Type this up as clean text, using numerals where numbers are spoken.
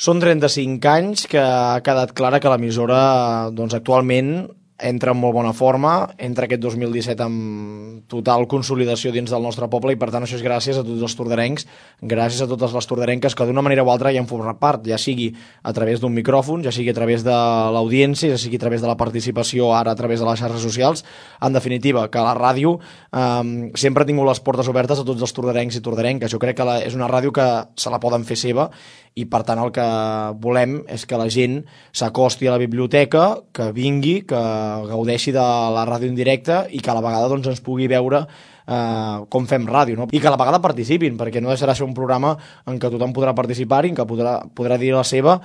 Són 35 anys que ha quedat clara que l'emissora doncs, actualment entra en molt bona forma, entra aquest 2017 amb total consolidació dins del nostre poble i per tant això és gràcies a tots els tordarencs, gràcies a totes les tordarenques que d'una manera o altra hi han format part, ja sigui a través d'un micròfon, ja sigui a través de l'audiència, ja sigui a través de la participació ara a través de les xarxes socials, en definitiva que la ràdio sempre ha tingut les portes obertes a tots els tordarencs i tordarenques. Jo crec que és una ràdio que se la poden fer seva i per tant el que volem és que la gent s'acosti a la biblioteca, que vingui, que gaudeixi de la ràdio en directe i que a la vegada doncs, ens pugui veure com fem ràdio, no? I que a la vegada participin, perquè no deixarà ser un programa en què tothom podrà participar i en què podrà dir la seva